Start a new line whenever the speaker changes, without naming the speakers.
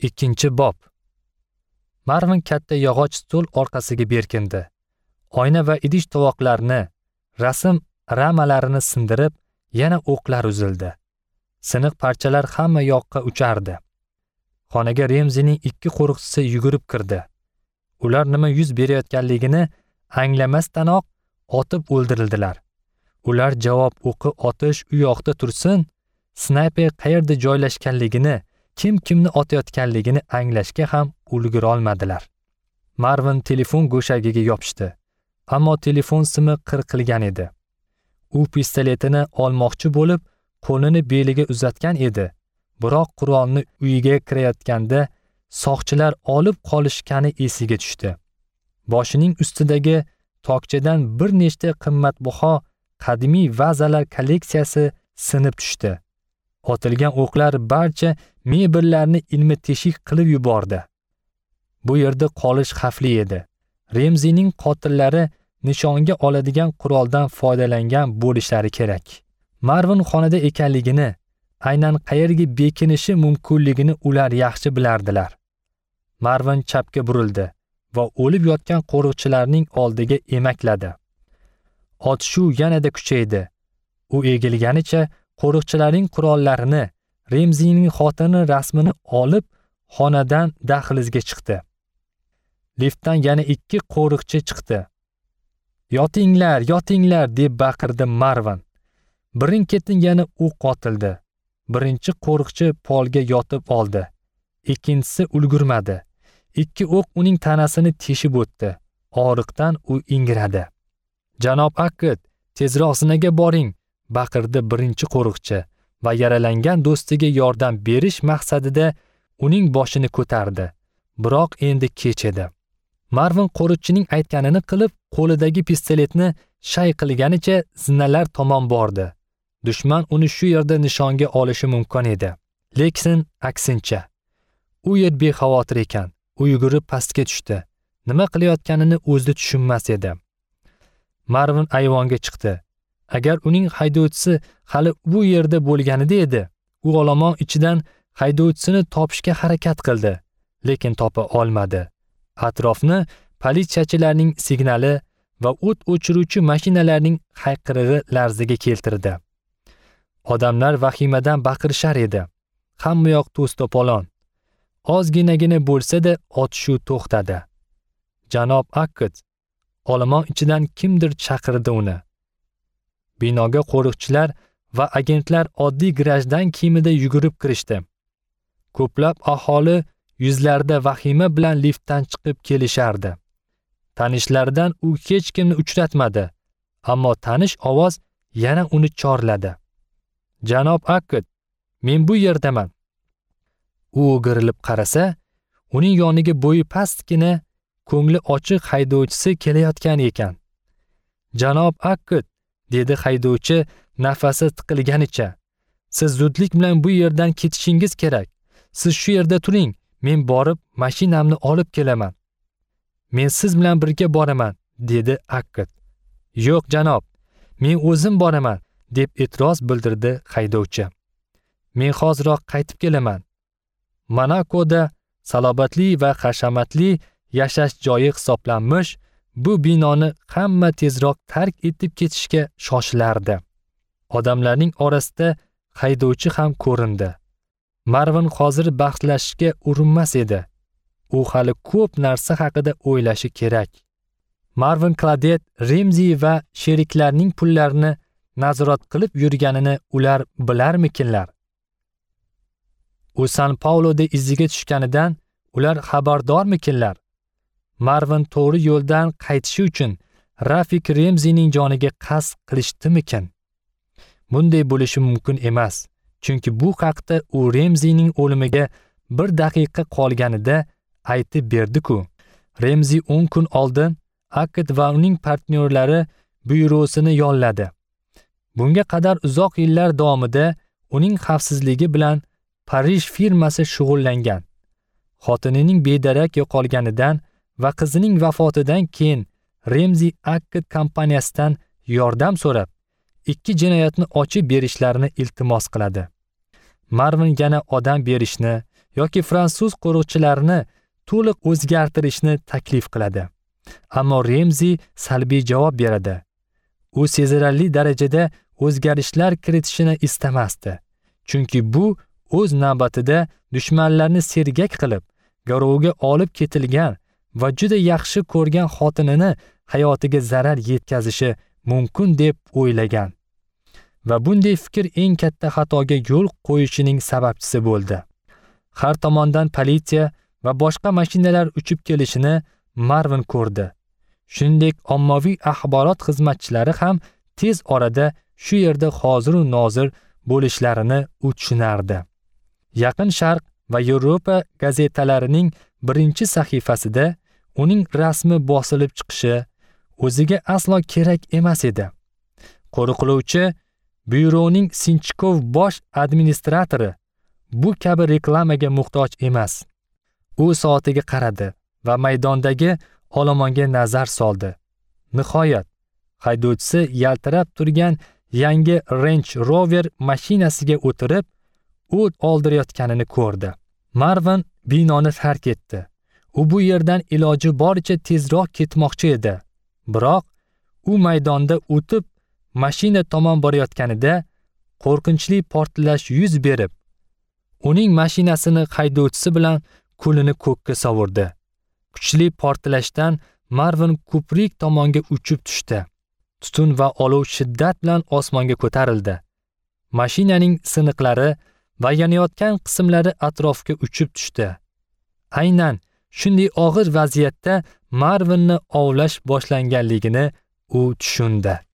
2-bob. Marvin katta yog'och stol orqasiga berkindi. Oyna va idish tovoqlarni, rasm ramalarini sindirib, yana o'qlar uzildi. Siniq parchalar hamma yoqqa uchardi. Xonaga Remzining 2 qo'riqchisi yugurib kirdi. Ular nima yuz berayotganligini anglamasdanoq otib o'ldirildilar. Ular javob o'qi otish u yoqda tursin, snayper qayerda joylashganligini, kim kimni otayotganligini anglashga ham ulgura olmadilar. Marvin telefon go'shagiga yopishdi. Ammo telefon simi qirqilgan edi. U pistoletini olmoqchi bo'lib, qo'lini beliga uzatgan edi. Biroq qurolni uyiga kirayotganda soqchilar olib qolishgani esiga tushdi. Boshining ustidagi tokchadan bir nechta qimmatbaho qadimiy vazalar kolleksiyasi sinib tushdi. Otilgan o'qlar barcha mebellarni ilmi teshik qilib yubordi. Bu yerda qolish xavfli edi. Remzining qotillari nishonga oladigan quroldan foydalangan bo'lishlari kerak. Marvin xonada ekanligini, aynan qayerga bekinishi mumkinligini ular yaxshi bilardilar. Marvin chapga burildi va o'lib yotgan qo'riqchilarning oldiga emakladi. Otishuv yanada kuchaydi. U egilganicha qo'riqchilarning qurollarini, Remzining xotini rasmini olib, xonadan dahlizga chiqdi. Liftdan yana 2 qo'riqchi chiqdi. "Yotinglar, yotinglar!" deb baqirdi Marvin. Birin-ketin yana o'q otildi. Birinchi qo'riqchi polga yotib oldi. Ikkinchisi ulgurmadi. 2 o'q uning tanasini teshib o'tdi. Og'riqdan u ingradi. "Janob Akkad, tezroq zinaga boring!" baqirdi birinchi qo'riqchi va yaralangan do'stiga yordam berish maqsadida uning boshini ko'tardi. Biroq endi kech edi. Marvin qo'riqchining aytganini qilib, qo'lidagi pistoletni shay qilganicha zinalar tomon bordi. Dushman uni shu yerda nishonga olishi mumkin edi. Lekin aksincha, u yer bexavotir ekan. U yugurib pastga tushdi. Nima qilayotganini o'zi tushunmas edi. Marvin ayvonga chiqdi. Agar uning haydovchisi hali bu yerda bo'lganida edi, u olomon ichidan haydovchisini topishga harakat qildi, lekin topa olmadi. Atrofni politsiyachilarning signali va o't o'chiruvchi mashinalarning hayqirig'i larzaga keltirdi. Odamlar vahimadan baqirishar edi. Hamma yoq to's-to'polon. Ozginagina bo'lsa-da otishuv to'xtadi. "Janob Akkad!" Olomon ichidan kimdir chaqirdi uni. Binoga qo'riqchilar va agentlar oddiy grajdan kiyimida yugurib kirishdi. Ko'plab aholi yuzlarida vahima bilan liftdan chiqib kelishardi. Tanishlaridan u hech kimni uchratmadi, ammo tanish ovoz yana uni chorladi. "Janob Akkad, men bu yerdaman." U o'girilib qarasa, uning yoniga bo'yi pastgina, ko'ngli ochiq haydovchisi kelayotgan ekan. "Janob Akkad," dedi haydovchi nafasi tiqilganicha. "Siz zudlik bilan bu yerdan ketishingiz kerak. Siz shu yerda turing, men borib mashinamni olib kelaman." "Men siz bilan birga boraman," dedi Akkad. "Yo'q janob, men o'zim boraman," deb e'tiroz bildirdi haydovchi. "Men hoziroq qaytib kelaman." Monakoda salobatli va hashamatli yashash joyi hisoblanmish bu binoni hamma tezroq tark etib ketishga shoshilardi. Odamlarning orasida haydovchi ham ko'rindi. Marvin hozir bahslashishga urinmas edi. U hali ko'p narsa haqida o'ylashi kerak. Marvin Cladet Remzi va sheriklarining pullarini nazorat qilib yurganini ular bilarmikinlar? U San Pauloda iziga tushganidan ular xabardormikinlar? Marvin to'g'ri yo'ldan qaytishi uchun Rafik Remzining joniga qasd qilishdimikin? Bunday bo'lishi mumkin emas, chunki bu haqda u Remzining o'limiga bir daqiqa qolganida aytib berdi-ku. Remzi 10 kun oldin Akkad va uning partnyorlari byurosini yolladi. Bunga qadar uzoq yillar davomida uning xavfsizligi bilan Parij firmasi shug'ullangan. Xotinining bedarak yo'qolganidan va qizining vafotidan keyin Remzi Akkad kompaniyasidan yordam so'rab, 2 jinoyatni ochib berishlarini iltimos qiladi. Marvin yana odam berishni yoki fransuz qo'riqchilarini to'liq o'zgartirishni taklif qiladi. Ammo Remzi salbiy javob beradi. U sezilarli darajada o'zgarishlar kiritishini istamasdi. Chunki bu o'z navbatida dushmanlarni sergak qilib, garovga olib ketilgan va juda yaxshi ko'rgan xotinini hayotiga zarar yetkazishi mumkin deb o'ylagan. Va bunday fikr eng katta xatoga yo'l qo'yishining sababchisi bo'ldi. Har tomondan politsiya va boshqa mashinalar uchib kelishini Marvin ko'rdi. Shuningdek, ommaviy axborot xizmatchilari ham tez orada shu yerda hozir u nozir bo'lishlarini u tushunardi. Yaqin Sharq va Yevropa gazetalarining birinchi sahifasida uning rasmi bosilib chiqishi o'ziga aslo kerak emas edi. Qo'riqlovchi byuroning Sinchkov bosh administratori bu kabi reklamaga muhtoj emas. U soatiga qaradi va maydondagi olomonga nazar soldi. Nihoyat, haydovchisi yaltirab turgan yangi Range Rover mashinasiga o'tirib, o't oldirayotganini ko'rdi. Marvin binoni tark etdi. U bu yerdan iloji boricha tezroq ketmoqchi edi. Biroq u maydonda o'tib mashina tomon borayotganida qo'rqinchli portlash yuz berib, uning mashinasini haydovchisi bilan kulini ko'kka sovurdi. Kuchli portlashdan Marvin ko'prik tomonga uchib tushdi. Tutun va olov shiddat bilan osmonga ko'tarildi. Mashinaning siniqlari va yonayotgan qismlari atrofga uchib tushdi. Aynan shunday og'ir vaziyatda Marvinni ovlash boshlanganligini u tushundi.